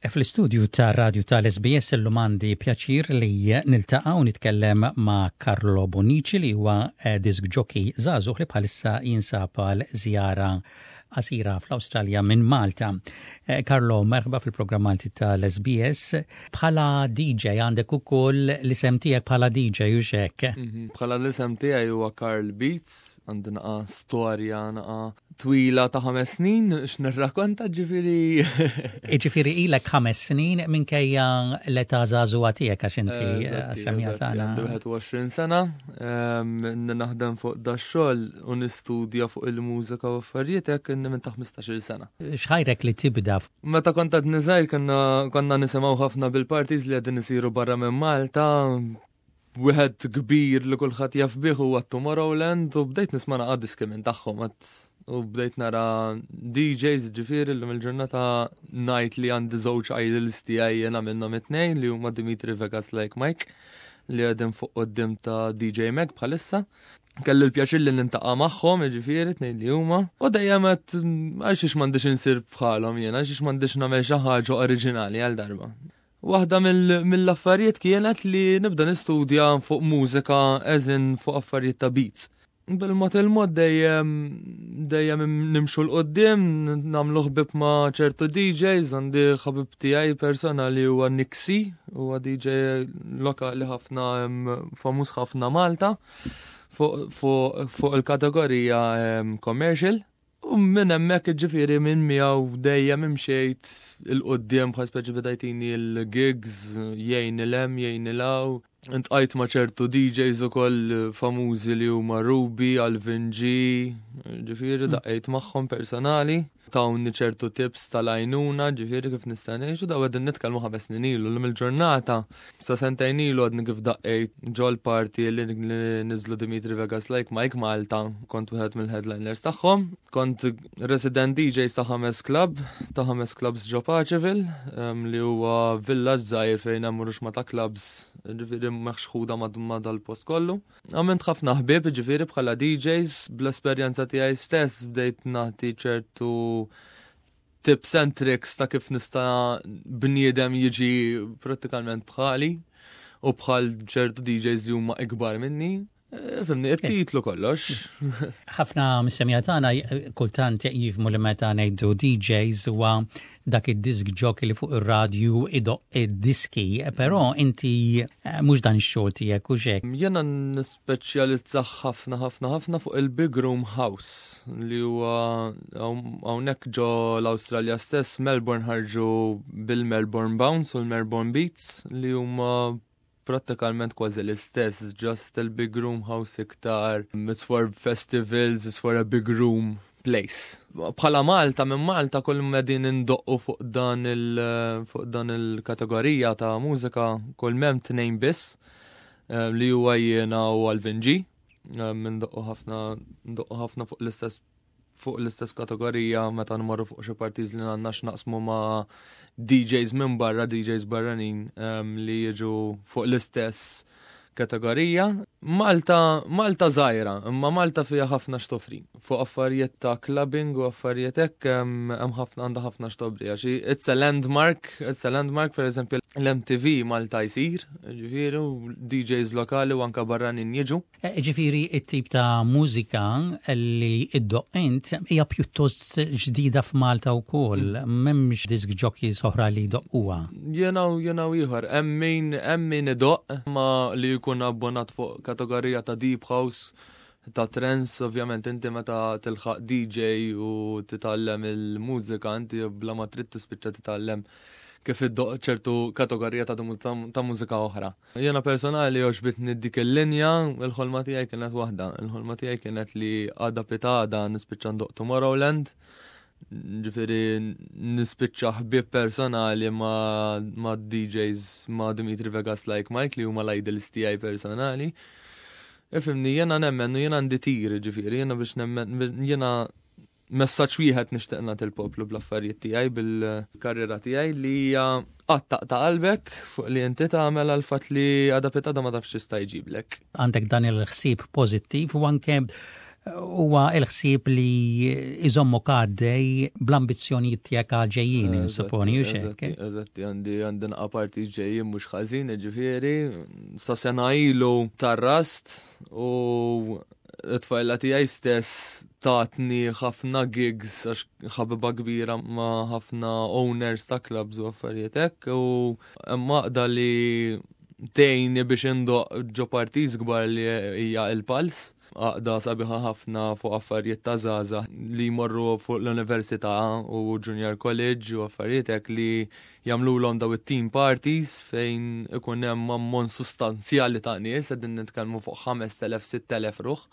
Fl-istudju ta' radju tal-SBS illum għandi pjaċir li niltaqa' u nitkellem ma' Carlo Bonnici li huwa eh, disc jockey żagħżugħ li bħalissa jinsab għal żjara qasira fl-Awstralja minn Malta. Eh, Carlo, merħba fil-programm Malti tal-SBS. Bħala DJ għandek ukoll l-isem tiegħek bħala DJ u xek. Mhm, bħala l-isem tiegħi huwa Carl Beats, għandi naqa storja naqa twila ta' ħames snin, x'nirrakonta ġifieri. Ġifieri ilek ħames snin minkejja l-età żagħżugħa tiegħek għax inti eh, semmija tagħna. Għandi 21 sena, ehm, naħdem fuq da xogħol u nistudja fuq il-mużika u affarijiet hekk inni minn ta' 15-il sena. X'ħajrek li tibda? Meta kont għadni żgħir konna nisimgħu ħafna bil-parties li qegħdin isiru barra minn Malta, wieħed kbir li kulħadd jaf bih huwa Tomorrowland u bdejt nisma' naqa' diski minn tagħhom u bdejt nara DJs ġifieri llum il-ġurnata ngħid li għandi żewġ idols tiegħi jiena minnhom it-tnejn li huma Dimitri Vegas Like Mike li qegħdin fuq quddiem ta' DJ Mag bħalissa. Kelli l-pjaċir li nintaqa' magħhom, ġifieri tnejn li huma. U dejjem qed għalxiex m'għandix insir bħalhom jiena, għalxiex m'għandix nagħmel xi ħaġa oriġinali għal darba. Waħda mill-affarijiet kienet li nibda nistudja fuq mużika eżin fuq affarijiet ta' beats. Bil-mod il-mod dejjem dejjem nimxu l-qoddim, nagħmlu ħbib ma' ċertu DJs, għandi ħabib tiegħi personali huwa Nixi, huwa DJ lokali ħafna famuż ħafna Malta fuq il-kategorija commercial. U minn hemmhekk ġifieri minn miegħu dejjem imxejt il-quddiem bħal speċi beda jtini l-gigs, jgħin il-hemm, jgħin il-hawn. Intqajt ma' ċertu DJs ukoll famużi li huma Ruby, Alvin G, ġifieri mm. daqqejt magħhom personali. Tawni ċertu tips tal-għajnuna, ġifieri kif nista' ngħix u daw qegħdin nitkellmu ħames snin ilu l il-ġurnata Sa sentejn ilu għadni kif daqqejt ġol party li niżlu Dimitri Vegas Like Mike Malta, kont wieħed mill-headliners tagħhom. Kont resident DJ ta' ħames club, ta' ħames clubs ġo Paceville, li huwa village żgħir fejn hemm ruxma ta' clubs, ġifieri meħxħuda ma' dal-post kollu. Għamilt ħafna ħbieb, ġifieri bħala DJs, bl-esperjenza tiegħi stess bdejt nagħti ċertu tips and tricks ta' kif nista' bniedem jiġi prattikalment bħali u bħal ċertu DJs li huma ikbar minni. Eh, fimni, it-titlu kollox. Ħafna mis-semija tagħna eh, kultant jifmu li meta ngħidu DJs huwa dak id-disk jockey li fuq ir-radju idoq id-diski, però inti eh, mhux dan ix-xogħol tiegħek u xek. Jiena nispeċjalizza ħafna ħafna ħafna fuq il-Big Room House li huwa hawnhekk ġo l-Awstralja stess Melbourne ħarġu bil-Melbourne Bounce u l-Melbourne Beats li huma prattikalment kważi l-istess, just il-Big Room House iktar, it's for festivals, it's for a big room place. Bħala Malta, minn Malta kull medin indoqqu fuq dan il fuq dan il-kategorija ta' mużika kull mem tnejn biss. Eh, li huwa jiena u Alvin G. Eh, minn doqqu ħafna ndoqqu ħafna fuq l-istess fuq l-istess kategorija meta nmorru fuq xi partiż li għandna x'naqsmu ma' DJs minn barra, DJs barranin ehm, li jiġu fuq l-istess kategorija. Malta, Malta żgħira, imma Malta fiha ħafna x'toffri. Fuq affarijiet ta' clubbing u affarijiet hekk hemm ħafna għandha ħafna x'toffri għax it's a landmark, it's a landmark pereżempju l-MTV Malta jsir, ġifieri u DJs lokali u anka barranin jiġu. Eh, ġifieri it-tip ta' mużika li iddoq int hija pjuttost ġdida f'Malta wkoll, mm. m'hemmx disk jockeys oħra li jdoqquha. Jiena u jiena u ieħor, hemm min hemm min idoq ma li jkun abbonat fuq kategorija ta' deep house ta' trance, ovvjament inti meta tilħaq DJ u titgħallem il-mużika inti bla ma trid tispiċċa titgħallem kif iddoq ċertu kategorija ta', ta mużika oħra. Jiena personali għoġbitni dik il-linja, il-ħolma tiegħi kienet waħda. Il-ħolma tiegħi kienet li għada pitada nispiċċa ndoq Tomorrowland, ġifieri nispiċċa ħbieb personali ma', ma DJs ma' Dimitri Vegas Like Mike li huma l-idols tiegħi personali. Ifimni, jena nemmen u jena għandi tir, ġifieri, jena biex nemmen, jena messaġġ wieħed nixtieq nagħti l-poplu bl-affarijiet tiegħi bil-karriera tiegħi li hija qatt taqta' qalbek fuq li inti tagħmel għal fatt li għada pitada ma tafx x'jista' jġiblek. Għandek dan il-ħsieb pożittiv u anke Huwa l-ħsieb li iżommok għaddej bl-ambizzjonijiet tiegħek għal ġejjin, supponi u xek. Eżatti, għandi għandi naqa parti ġejjin mhux ħażin, ġifieri, sa sena ilu tarrast u t-tfajla tiegħi stess tatni ħafna gigs għax ħabiba kbira ma' ħafna owners ta' clubs u affarijiet hekk u hemm għaqda li tgħinni biex indoq ġo parties kbar li hija il-Pals. Għaqda sabiħa ħafna fuq affarijiet ta' żgħażagħ li jmorru fuq l-università u junior college u affarijiet hekk li jagħmluhom daw it-team parties fejn ikun hemm ammont sustanzjali ta' nies, qegħdin nitkellmu fuq 5000-6000 ruħ.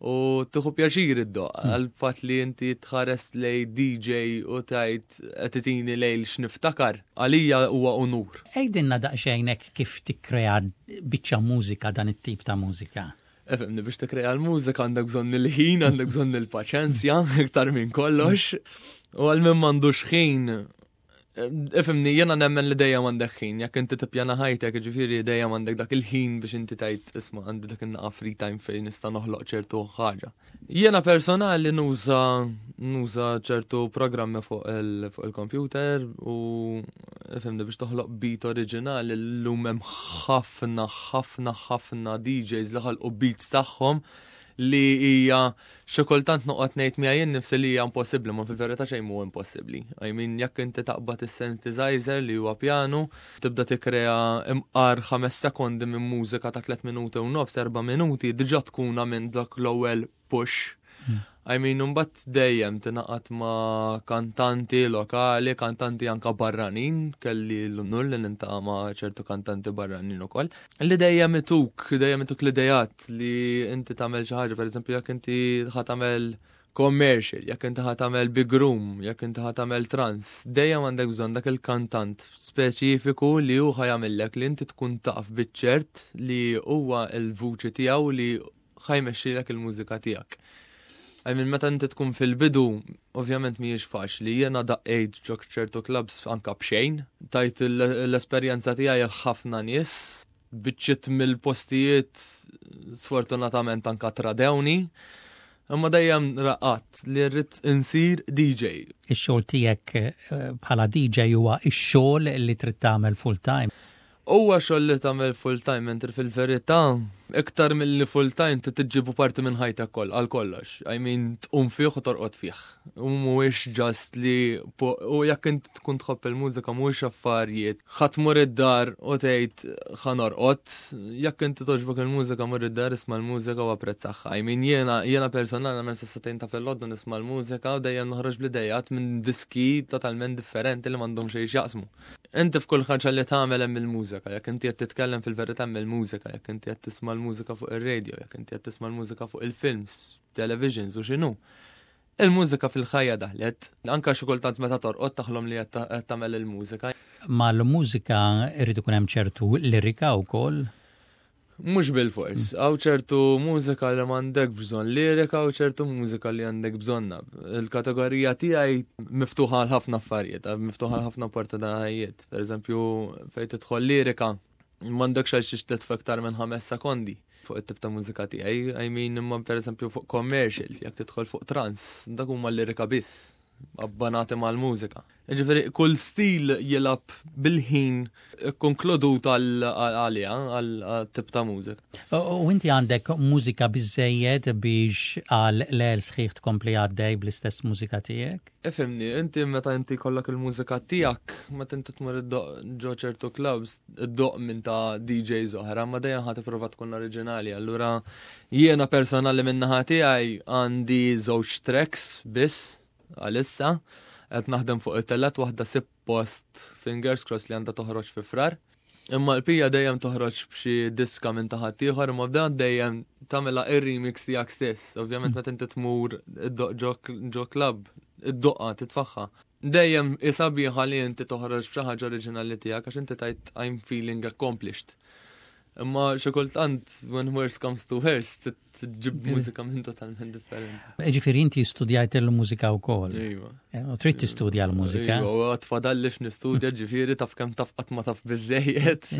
U tieħu pjaċir iddoqq għal fatt li inti tħares lej DJ u tajt qed itini lejl x'niftakar. Għalija huwa unur. Għidilna daqsxejn hekk kif tikkrea biċċa mużika, dan it-tip ta' mużika. Ifhimni, biex tikkrea l-mużika għandek bżonn il-ħin, għandek bżonn il-paċenzja, iktar minn kollox. U għal min m'għandux ħin, ifhimni, jena nemmen li dejjem għandek ħin, jekk inti tippjana ħajtek, ġifieri dejjem għandek dak il-ħin biex inti tajt isma' għandi dak in-naqa free time fejn nista' noħloq ċertu ħaġa. Jena personali nuża ċertu programmi fuq il-computer u ifhimni biex toħloq beat oriġinali llum hemm ħafna, ħafna, ħafna DJs li ħalqu beats tagħhom li hija xi kultant noqgħod ngħid miegħi jien nifsi li hija impossibbli, ma fil-verità xejn mhu impossibbli. I mean, jekk inti taqbad is-synthesizer li huwa piano, tibda tikkrea imqar 5 sekondi minn mużika ta' 3 minuti u nofs, 4 minuti, diġà tkun minn dak l-ewwel push. I mean, mbagħad dejjem tingħaqad ma' kantanti lokali, kantanti anka barranin, kelli l-unur li niltaqa' ma' ċertu kantanti barranin ukoll. Li dejjem ituk, dejjem ituk l-idejat li inti tagħmel xi ħaġa, pereżempju jekk inti ħa tagħmel commercial, jekk inti ħa tagħmel big room, jekk inti ħa tagħmel trance, dejjem għandek bżonn dak il-kantant speċifiku li hu ħa jagħmillek li inti tkun taf biċ-ċert li huwa l-vuċi tiegħu li ħa jmexxilek il-mużika tiegħek. I mean, meta inti tkun fil-bidu, ovvjament mhijiex faċli. Jiena daqqejt ġo ċertu clubs anka b'xejn. Tajt l-esperjenza tiegħi ħafna nies, biċċiet mill-postijiet sfortunatament anka tradewni. Imma dejjem raqat li rrid insir DJ. Ix-xogħol tiegħek bħala DJ huwa x-xogħol li trid tagħmel full time. Huwa xogħol li tagħmel full time, mentri fil-verità iktar milli full time tiġġibu parti minn ħajtek koll għal kollox. I mean, tqum fih u torqod fih. U mhuwiex just li u jekk inti tkun tħobb il-mużika mhuwiex affarijiet. Ħa tmur id-dar u tgħid ħa norqod, jekk inti togħġbok il-mużika mur id-dar isma' l-mużika u apprezzaha. I mean, jiena personali nagħmel sas-sagħtejn ta' filgħodu nisma' l-mużika u dejjem noħroġ bl-idejat minn diski totalment differenti li m'għandhom xejn x'jaqsmu. Inti f'kull ħaġa li tagħmel hemm il-mużika, jekk inti qed titkellem fil-verità hemm il-mużika, jekk inti qed tisma' l-mużika fuq ir-radio, jekk inti qed tisma' l-mużika fuq il-films, televisions u x'inhu. Il-mużika fil-ħajja daħlet, anka xi kultant meta torqod taħlom li qed tagħmel il-mużika. Mal-mużika irid ikun hemm ċertu lirika wkoll. Mhux bil-fors, hawn ċertu mużika li m'għandek bżonn lirika u ċertu mużika li għandek bżonna. Il-kategorija tiegħi miftuħa għal ħafna affarijiet, miftuħa għal ħafna opportunitajiet. Per eżempju, fejn tidħol lirika, m'għandekx għal xiex titfa' iktar minn 5 sekondi fuq it-tip ta' mużika tiegħi. I mean, imma per eżempju fuq commercial, jekk tidħol fuq trance, dak huma lirika biss, abbanati mal-mużika. Ġifieri, kull stil jilgħab bil-ħin konkludut għalija, għal-tip ta' mużika. U inti għandek mużika biżejjed biex għal lejl sħiħ tkompli għaddej bl-istess mużika tiegħek? Ifhimni, inti meta inti kollok il-mużika tiegħek, meta inti tmur ġo ċertu clubs, iddoqq minn ta' DJs oħra, ma dejjem ħa tipprova tkun oriġinali. Allura jiena personali minn naħa tiegħi għandi żewġ tracks biss għalissa, qed naħdem fuq it-tielet waħda suppost fingers crossed li għandha toħroġ fi Frar. Imma l-pija dejjem toħroġ b'xi diska minn taħt ieħor, imma b'dan dejjem tagħmilha ir-remix tiegħek stess. Ovvjament meta inti tmur iddoqq ġo club, iddoqqha titfaħħa. Dejjem sabiħa li inti toħroġ b'xi ħaġa oriġinali tiegħek għax inti tajt "I'm feeling accomplished". Imma xi kultant when worst comes to worst, tġib mużika minn totalment differenti. Ġifieri inti studjajt il-mużika wkoll. Iva. Eh, u trid tistudja l-mużika. Iva, u għad fadallix nistudja ġifieri taf kemm taf qatt ma taf biżejjed.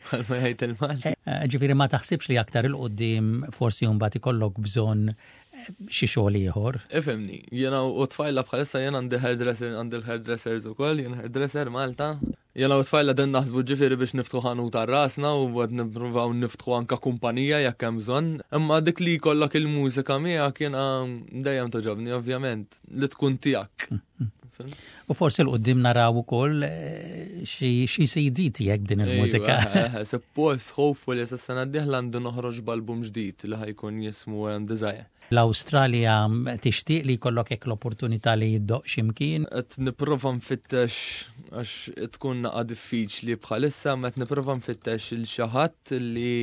Bħalma jgħid il-Malti. Eh, ġifieri ma taħsibx li aktar il-qudiem forsi mbagħad ikollok bżonn eh, xi xogħol ieħor. Ifhimni, jiena u tfajla bħalissa jiena għandi hairdresser, għandi l-hairdressers ukoll, jien hairdresser Malta. Jena u tfajla den naħsbu ġifieri biex niftħu ħanut għal rasna u għad nippruvaw niftħu anka kumpanija jekk hemm bżonn. Imma dik li jkollok il-mużika miegħek jiena dejjem toġobni ovvjament li tkun tiegħek. U forsi l-qoddim naraw ukoll eh, xi CD tiegħek b'din il-mużika. Eh, eh, suppost hopefully sa sena d-dieħla għandu noħroġ b'album ġdid li ħajkun jismu Desire. L-Awstralja tixtieq li jkollok hekk l-opportunità li jiddoq x'imkien? Qed nipprova nfittex għax tkun naqa' diffiċli bħalissa, ma qed nipprova nfittex il xi ħadd li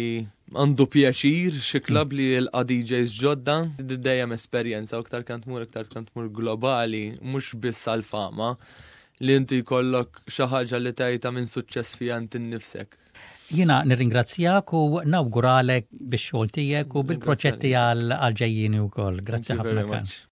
għandu pjaċir xi klabb li jilqa' DJs ġodda, dejjem esperjenza u iktar kemm tmur iktar kemm tmur globali, mhux biss għall-fama, li inti jkollok xi ħaġa li tgħidha minn suċċess fiha inti nnifsek. Jiena nirringrazzjak u nawguralek bix-xogħol tiegħek u bil-proġetti għal ġejjieni wkoll. Grazzi ħafna.